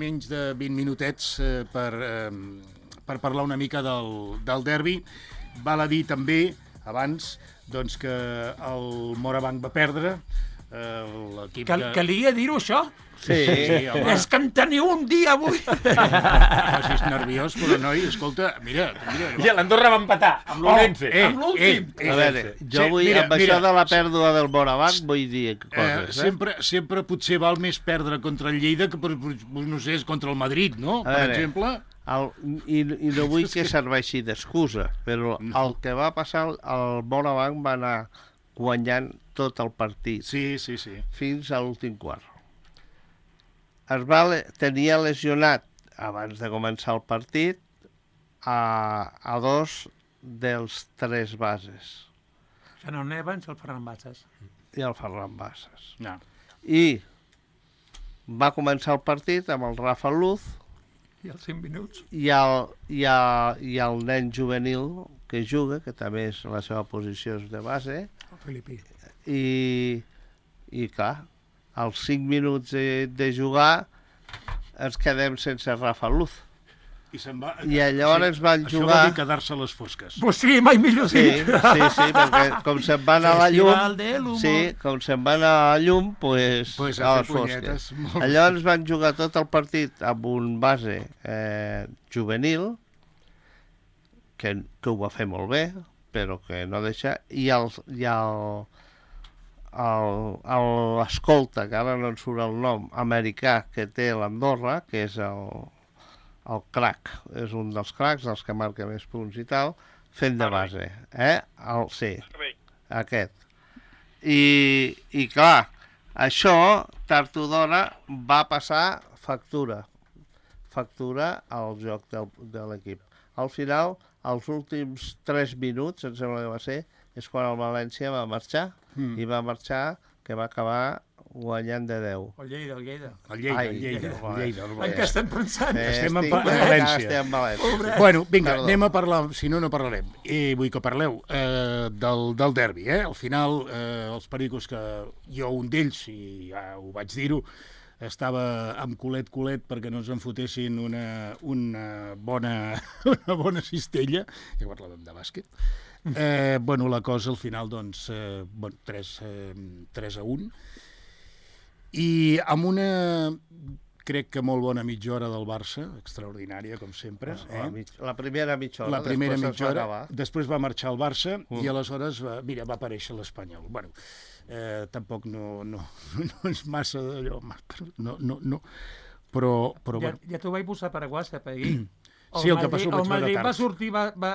menys de 20 minutets per parlar una mica del derbi. Val a dir també, abans, doncs, que el Morabanc va perdre. L'equip Calia dir-ho, això? Sí, home. És que en teniu un dia avui. Facis nerviós, però noi, escolta, mira. I l'Andorra va empatar amb l'Orense. Amb l'últim. A veure, jo vull, amb això de la pèrdua del Morabanc, vull dir coses, Sempre potser val més perdre contra el Lleida que, no sé, contra el Madrid, no? Per exemple. I no vull que serveixi d'excusa, però el que va passar, el Morabanc va anar guanyant tot el partit. Sí. Fins a l'últim quart. Tenia lesionat, abans de començar el partit, a dos dels tres bases. Xanon Evans i el Ferran Bassas. I el Ferran Bassas. No. I va començar el partit amb el Rafa Luz I els 5 minuts. i el nen juvenil que juga, que també és la seva posició és de base, El Filipí. i clar, als 5 minuts de jugar ens quedem sense Rafa Luz. I llavors van jugar... Això vol dir quedar-se a les fosques. Pues sí, mai millor sí, perquè com se'n va anar a la llum... com se'n va anar a la llum, pues a les fosques. Llavors van jugar tot el partit amb un base juvenil, que ho va fer molt bé, però que no deixa... I l'escolta, que ara no en surt el nom, americà que té l'Andorra, que és el crack, és un dels cracks, dels que marca més punts i tal, fent de base. Sí, aquest. I clar, això, tard o d'hora, va passar factura al joc de l'equip. Al final, els últims 3 minuts, em sembla que va ser, és quan el València va marxar, i va marxar que va acabar guanyant de 10. El Lleida. El Lleida. En què estem pensant? Estem en València. Bueno, vinga, anem a parlar, si no parlarem. Vull que parleu del derbi. Al final, els pericos que jo, un d'ells, i ja ho vaig dir-ho, estava amb culet perquè no ens en fotessin una bona cistella, ja parlàvem de bàsquet. La cosa al final, doncs, 3-1, i amb una, crec que molt bona mitja hora del Barça, extraordinària, com sempre. La primera mitja hora, després va marxar el Barça, i aleshores va aparèixer l'Espanyol. Bueno, tampoc no és massa d'allò, no, però... Ja t'ho vaig posar per a WhatsApp ahir. Sí, el que passa el Madrid va sortir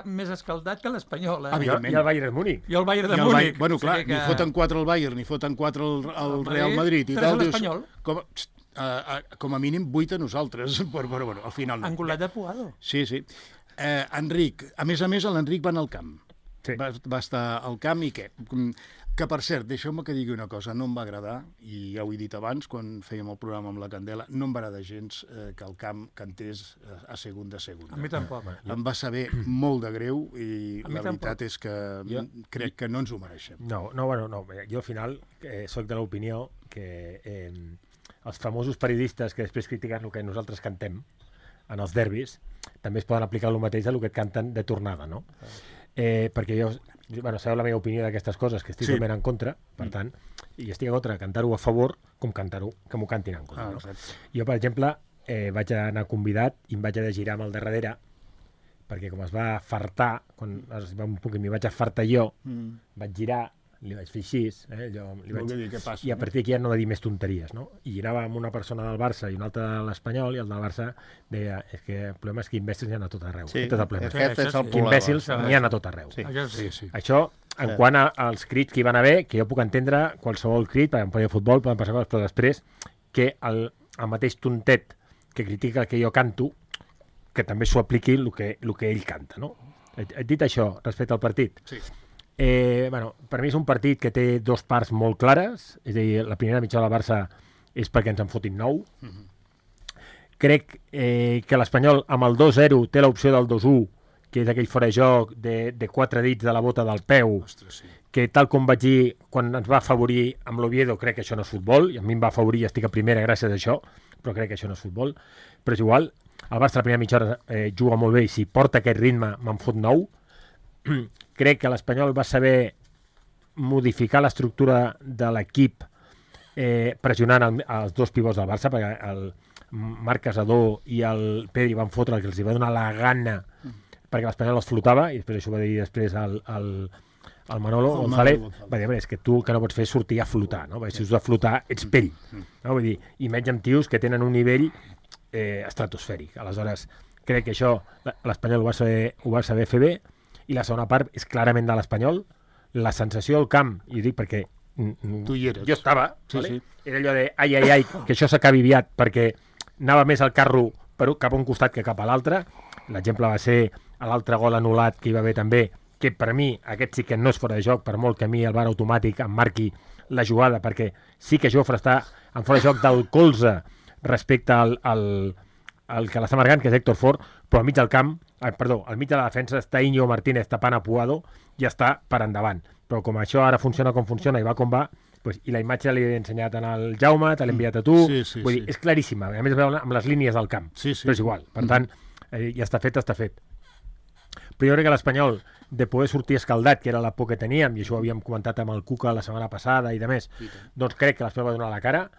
més escaldat que l'Espanyol. I el Bayern de Múnich. I el Bayern de Múnich. Bueno, clar, ni foten 4 al Bayern, ni foten 4 al Real Madrid. 3 a l'Espanyol. Com a mínim 8 a nosaltres, però bueno, al final no. Angulat de Puado. Sí. Enric, a més, l'Enric va anar al camp. Sí. Va estar al camp i què? Que, per cert, deixeu-me que digui una cosa, no em va agradar, i ja ho he dit abans, quan fèiem el programa amb la Candela, no em va agradar gens que el camp cantés a segunda. A mi tampoc. Em va saber molt de greu i la veritat és que crec que no ens ho mereixem. No, jo al final soc de l'opinió que els famosos periodistes que després critiquen el que nosaltres cantem en els derbis també es poden aplicar el mateix a el que et canten de tornada, no? Perquè jo, sabeu la meva opinió d'aquestes coses, que estic totalment en contra, per tant, i estic en contra de cantar-ho a favor com cantar-ho, que m'ho cantin en contra. No? Jo, per exemple, vaig anar convidat i em vaig haver de girar amb el de darrere, perquè com es va fartar, quan m'hi vaig afartar jo, vaig girar li vaig fer així, i a partir d'aquí ja no va dir més tonteries, no? I anava amb una persona del Barça i una altra de l'Espanyol, i el del Barça deia, és que el problema és que imbècils n'hi ha a tot arreu. Sí, aquest és el problema. aquest és el Que imbècils n'hi ha a tot arreu. Sí. Això, en quant als crits que hi van haver, que jo puc entendre qualsevol crit, perquè em podia futbol, poden passar coses, però després que el mateix tontet que critica el que jo canto, que també s'ho apliqui el que ell canta, no? Et dit això respecte al partit. Sí. Per mi és un partit que té dos parts molt clares, és a dir, la primera mitja de la Barça és perquè ens en fotin 9. Crec que l'Espanyol amb el 2-0 té l'opció del 2-1, que és aquell fora de joc de 4 dits de la bota del peu, que tal com vaig dir quan ens va afavorir amb l'Oviedo, crec que això no és futbol, i a mi em va afavorir i estic a primera gràcies a això, però crec que això no és futbol. Però és igual, el Barça la primera mitja hora juga molt bé i si porta aquest ritme me'n fot 9. Crec que l'Espanyol va saber modificar l'estructura de l'equip pressionant els dos pivots del Barça, perquè el Marc Casador i el Pedri van fotre el que els va donar la gana perquè l'Espanyol els flotava, i després això va dir després el Manolo González, va dir, és que tu el que no pots fer és sortir a flotar, no? Perquè si has de flotar ets pell, no? Vull dir, i menys amb tios que tenen un nivell estratosfèric. Aleshores, crec que això l'Espanyol ho va saber fer bé, i la segona part és clarament de l'Espanyol. La sensació al camp, i ho dic perquè tu hi eres. Jo estava, sí. Era allò de ai, que això s'acabi aviat, perquè anava més al carro cap a un costat que cap a l'altre. L'exemple va ser l'altre gol anul·lat que hi va haver també, que per mi aquest sí que no és fora de joc, per molt que a mi el VAR automàtic em marqui la jugada, perquè sí que Jofre està en fora de joc del colze respecte al que l'està marcant, que és Héctor Fort, però al mig del camp, al mig de la defensa està Íñigo Martínez tapant a Puado i està per endavant. Però com això ara funciona com funciona i va com va, i la imatge l'he ensenyat al Jaume, te l'he enviat a tu, vull dir, és claríssima, a més amb les línies del camp, però és igual, per tant, ja està fet. Però jo crec que l'Espanyol, de poder sortir escaldat, que era la por que teníem, i això ho havíem comentat amb el Cuca la setmana passada i de més, doncs crec que l'Espanyol va donar la cara.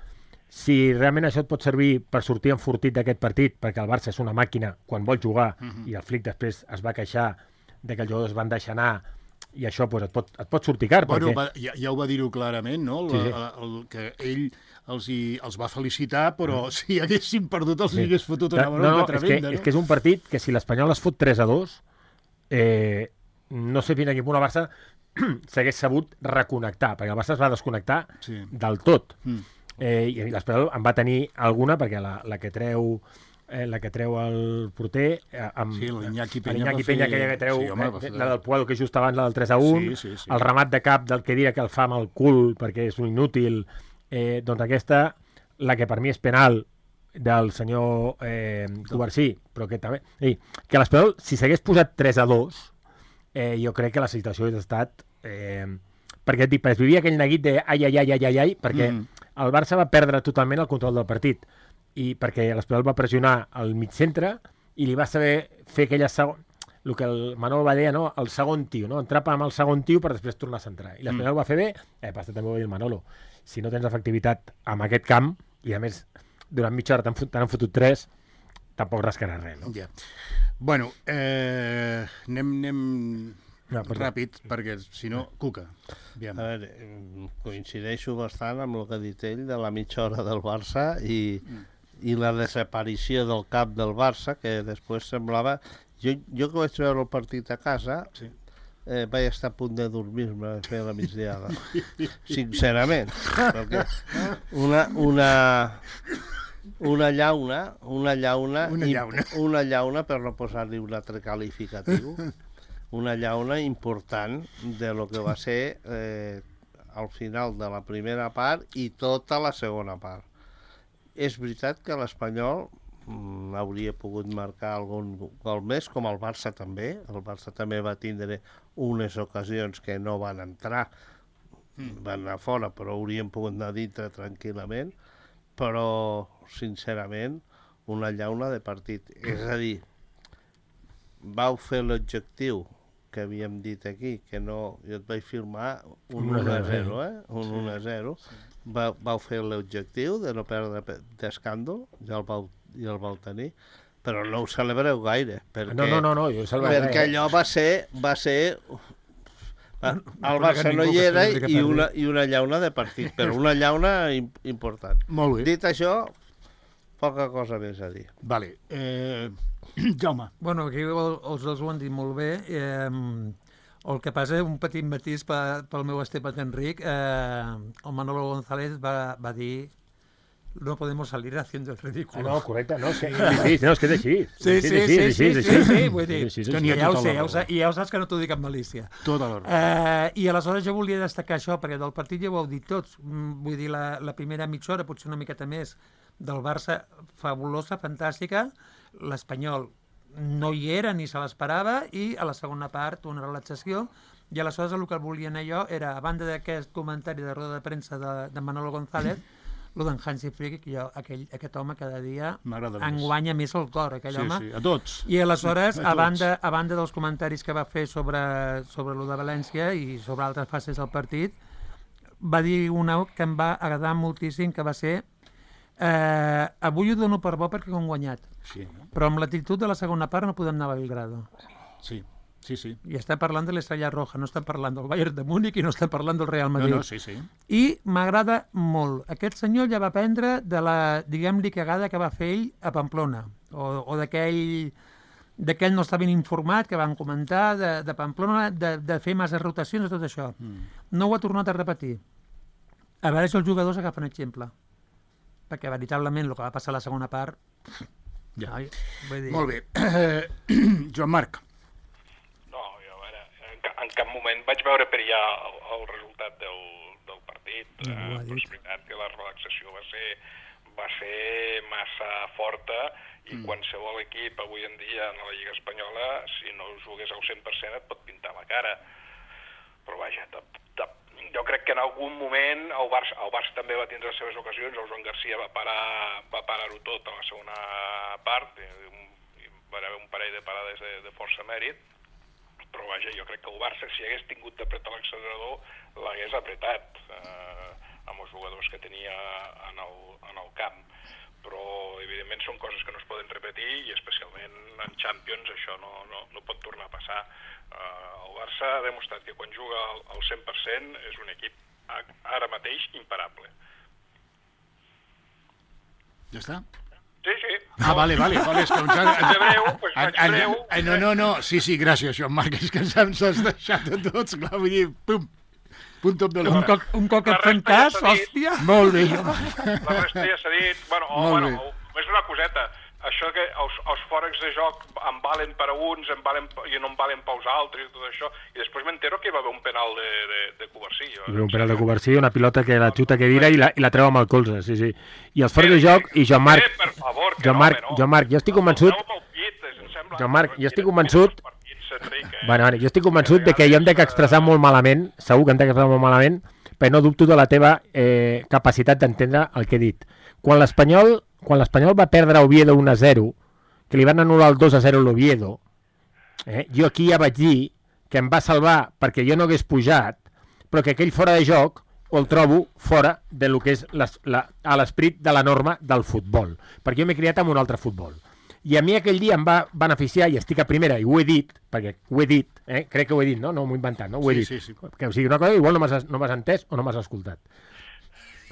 Si realment això et pot servir per sortir enfortit d'aquest partit, perquè el Barça és una màquina quan vol jugar, i el Flick després es va queixar de que els jugadors van deixar anar, i això et pot sortir car. Ja ho va dir-ho clarament, no? Que ell els va felicitar, però si haguessin perdut els hagués fotut una bronca tremenda. És que és un partit que si l'Espanyol es fot 3-2, no sé fins a quin punt el Barça s'hagués sabut reconnectar, perquè el Barça es va desconnectar del tot. I l'Espanyol en va tenir alguna, perquè la que treu el porter l'Iñaki Peña que treu la del Puado, que just abans la del 3-1, el remat de cap del que dirà que el fa amb el cul perquè és un inútil, doncs aquesta, la que per mi és penal del senyor Covarsí, però que també que l'Espanyol, si s'hagués posat 3-2, jo crec que la situació hauria estat perquè es vivia aquell neguit de ai, perquè el Barça va perdre totalment el control del partit, i perquè l'Espanyol va pressionar al mig centre i li va saber fer aquella el que el Manolo va dir, no? El segon tio, no? Entrapa amb el segon tio per després tornar a centrar, i l'Espanyol va fer bé, passa també ho va dir el Manolo, si no tens efectivitat en aquest camp, i a més durant mitja hora t'han fotut 3, tampoc rascarà res, no? Bueno, anem ràpid, perquè si no, Cuca. A veure, coincideixo bastant amb el que ha dit ell de la mitja hora del Barça i la desaparició del cap del Barça, que després semblava... Jo que vaig veure el partit a casa, vaig estar a punt de dormir-me a fer la migdiada. Sincerament. Perquè una llauna, per no posar-li un altre qualificatiu, una llauna important de lo que va ser al final de la primera part i tota la segona part. És veritat que l'Espanyol hauria pogut marcar algun gol més, com el Barça també. El Barça també va tindre unes ocasions que no van entrar, van anar fora, però haurien pogut anar dintre tranquil·lament. Però, sincerament, una llauna de partit. És a dir, vau fer l'objectiu que havíem dit aquí, que no... Jo et vaig firmar un 1-0, un 1-0. Vau fer l'objectiu de no perdre d'escàndol, ja el vau tenir, però no ho celebreu gaire. Perquè, no, jo ho celebraré. Perquè allò va ser El Barça no hi era i una llauna de partit, però una llauna important. Molt bé. Dit això, poca cosa més a dir. Vale. Jaume. Bueno, aquí els dos ho han dit molt bé. El que passa, un petit matís pel meu estimat Enric, el Manolo González va dir no podemos salir haciendo el ridículo. No, correcte, no, sí, no, és que és així. Sí, vull dir, ja ho sé, i ja ho saps que no t'ho dic amb malícia. Tota l'hora. I aleshores jo volia destacar això, perquè del partit ja ho heu dit tots, vull dir, la primera mitja hora, potser una miqueta més, del Barça, fabulosa, fantàstica, l'Espanyol no hi era ni se l'esperava, i a la segona part una relaxació, i aleshores el que volia anar jo era, a banda d'aquest comentari de roda de premsa de Manolo González, el d'en Hansi Flick, que jo, aquest home cada dia enguanya més el cor, aquell home. Sí, a tots. I aleshores, a banda dels comentaris que va fer sobre lo de València i sobre altres fases del partit, va dir una que em va agradar moltíssim, que va ser avui ho dono per bo perquè hem guanyat. Sí. Però amb l'actitud de la segona part no podem anar a Belgrado. Sí. I està parlant de l'Estrella Roja, no està parlant del Bayern de Múnich i no està parlant del Real Madrid. No, sí. I m'agrada molt. Aquest senyor ja va aprendre de la, diguem-li, cagada que va fer ell a Pamplona, o d'aquell no està ben informat que van comentar de Pamplona, de fer massa rotacions i tot això. No ho ha tornat a repetir. A veure si els jugadors agafen exemple. Perquè veritablement el que va passar a la segona part... Ja. Vull dir... Molt bé. Joan Marc. En cap moment vaig veure per allà el resultat del partit. Però és veritat que la relaxació va ser massa forta i qualsevol equip avui en dia en la Lliga Espanyola, si no jugués al 100% et pot pintar la cara. Però vaja, jo crec que en algun moment el Barça també va tindre les seves ocasions, el Joan Garcia va parar-ho tot a la segona part, va haver un parell de parades de força mèrit, però vaja, jo crec que el Barça, si hagués tingut d'apretar l'accelerador, l'hagués apretat amb els jugadors que tenia en el camp. Però, evidentment, són coses que no es poden repetir i, especialment, en Champions això no pot tornar a passar. El Barça ha demostrat que quan juga al 100% és un equip ara mateix imparable. Ja està? Sí. Ah, vale. És que vaig breu. No. Sí, gràcies, Joan Marc. És que ens has deixat a tots, clar, vull dir, pum, punt top de l'hora. Un cop et fan cas, hòstia. Molt bé. La resta ja s'ha dit. Bueno, és una coseta. Això que els fòrecs de joc em valen per a uns i no em valen pels altres i tot això. I després m'entero que hi va haver un penal de Covarsí. Un penal de Covarsí, una pilota que la xuta que vira i la treu amb el colze, sí. I els fòrecs de joc, i Joan Marc... Per favor, Joan Marc, jo estic convençut... Joan Marc, jo estic convençut... Bueno, jo estic convençut de que jo em dec expressar molt malament, segur que em dec expressar molt malament, però no dubto de la teva capacitat d'entendre el que he dit. Quan l'Espanyol va perdre a Oviedo 1-0, que li van anul·lar el 2-0 a l'Oviedo, jo aquí ja vaig dir que em va salvar perquè jo no hagués pujat, però que aquell fora de joc el trobo fora de lo que és a l'esperit de la norma del futbol, perquè jo m'he criat amb un altre futbol. I a mi aquell dia em va beneficiar, i estic a primera, i ho he dit, perquè ho he dit, crec que ho he dit, no m'ho he inventat, no? Ho he dit. Sí. Que o sigui, una cosa, igual no m'has entès o no m'has escoltat.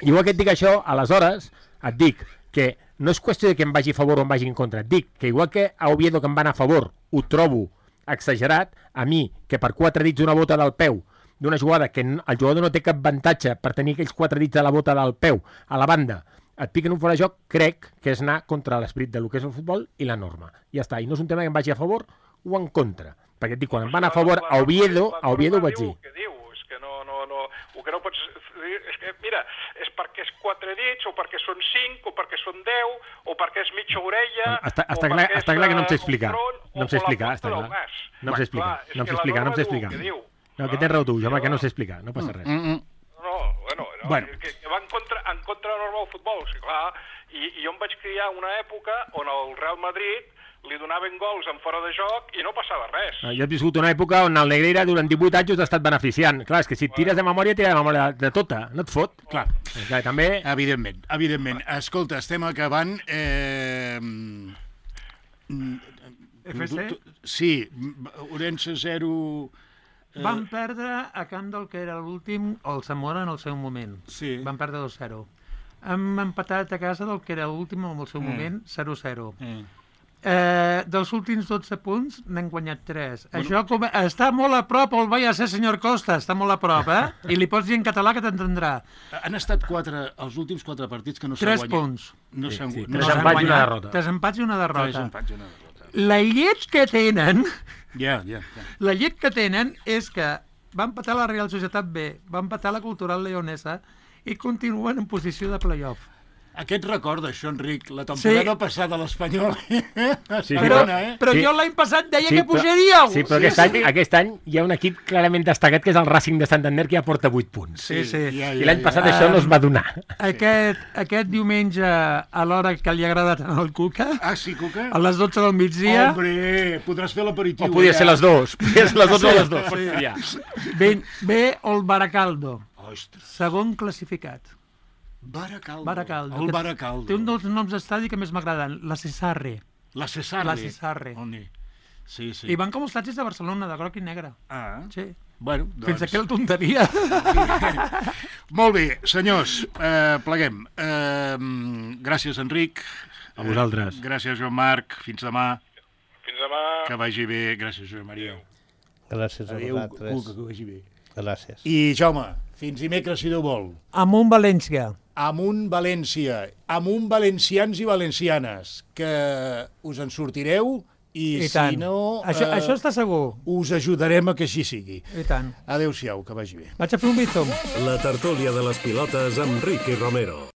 Igual que et dic això, aleshores et dic que no és qüestió de que em vagi a favor o em vagi en contra. Et dic que igual que a Oviedo que em va anar a favor ho trobo exagerat, a mi, que per 4 dits una bota del peu d'una jugada que el jugador no té cap avantatge per tenir aquells 4 dits de la bota del peu a la banda, et piquen un fora de joc, crec que és anar contra l'esperit del que és el futbol i la norma. Ja està, i no és un tema que em vagi a favor o en contra. Perquè et dic, quan em van a favor a Oviedo ho vaig dir. És que no, el que no pots dir és que, mira, és perquè és 4 dits, o perquè són 5, o perquè són 10, o perquè és mitja orella, està clar que no em sé explicar. No em sé explicar, està clar. No em sé explicar. No, que tens raó tu, Jaume, que no sé explicar, no passa res. Bueno, que va en contra de la norma del futbol, sí, clar. I jo em vaig criar una època on el Real Madrid li donaven gols en fora de joc i no passava res. Jo he viscut una època on el Negreira durant 18 anys us ha estat beneficiant. Clar, és que si et tires de memòria, tira de memòria de tota, no et fot. Clar, també... Evidentment. Escolta, estem acabant... FC? Sí, Orense 0... Van perdre a camp del que era l'últim, el Zamora en el seu moment. Sí. Van perdre 2-0. Hem empatat a casa del que era l'últim en el seu moment, 0-0. Dels últims 12 punts n'hem guanyat 3. Això està molt a prop, el vaya a ser, senyor Costa, està molt a prop, I li pots dir en català que t'entendrà. Han estat els últims 4 partits que no s'han guanyat. 3 punts. No s'han guanyat. 3 empats i una derrota. 3 empats i una derrota. 3 empats i una derrota. La llet que tenen... Ja. La llet que tenen és que va empatar la Real Societat B, va empatar la Cultural Leonesa i continuen en posició de play-off. Aquest recorda això, Enric, la temporada passada a l'Espanyol. Però jo l'any passat deia que pujaríeu. Sí, però aquest any hi ha un equip clarament destacat, que és el Racing de Santander, que ja porta 8 punts. Sí. I l'any passat això no es va donar. Aquest diumenge, a l'hora que li agrada tant al Cuca, sí, Cuca? a les 12 del migdia... Hombre, podràs fer l'aperitiu. O podia ser les dues. Podia ser les 12 o les 2. Ve el Baracaldo, segon classificat. Baracaldo. El Baracaldo. Té un dels noms d'estadi que més m'agraden, la Cesarre. La Cesarre. Sí. I van com els tatxis de Barcelona, de groc i negre. Sí. Bueno, doncs... Fins aquí la tonteria. Molt bé, senyors, pleguem. Gràcies, Enric. A vosaltres. Gràcies, Joan Marc. Fins demà. Fins demà. Que vagi bé. Gràcies, Josep Maria. Gràcies a vosaltres. Cuca, que vagi bé. Gràcies. I, Jaume, fins dimecres, si Déu vol. Amunt València. Amunt València. Amunt valencians i valencianes. Que us en sortireu i si no... Això està segur. Us ajudarem a que així sigui. I tant. Adéu-siau, que vagi bé. Vaig a fer un bizom. La tertúlia de les pilotes amb Ricky Romero.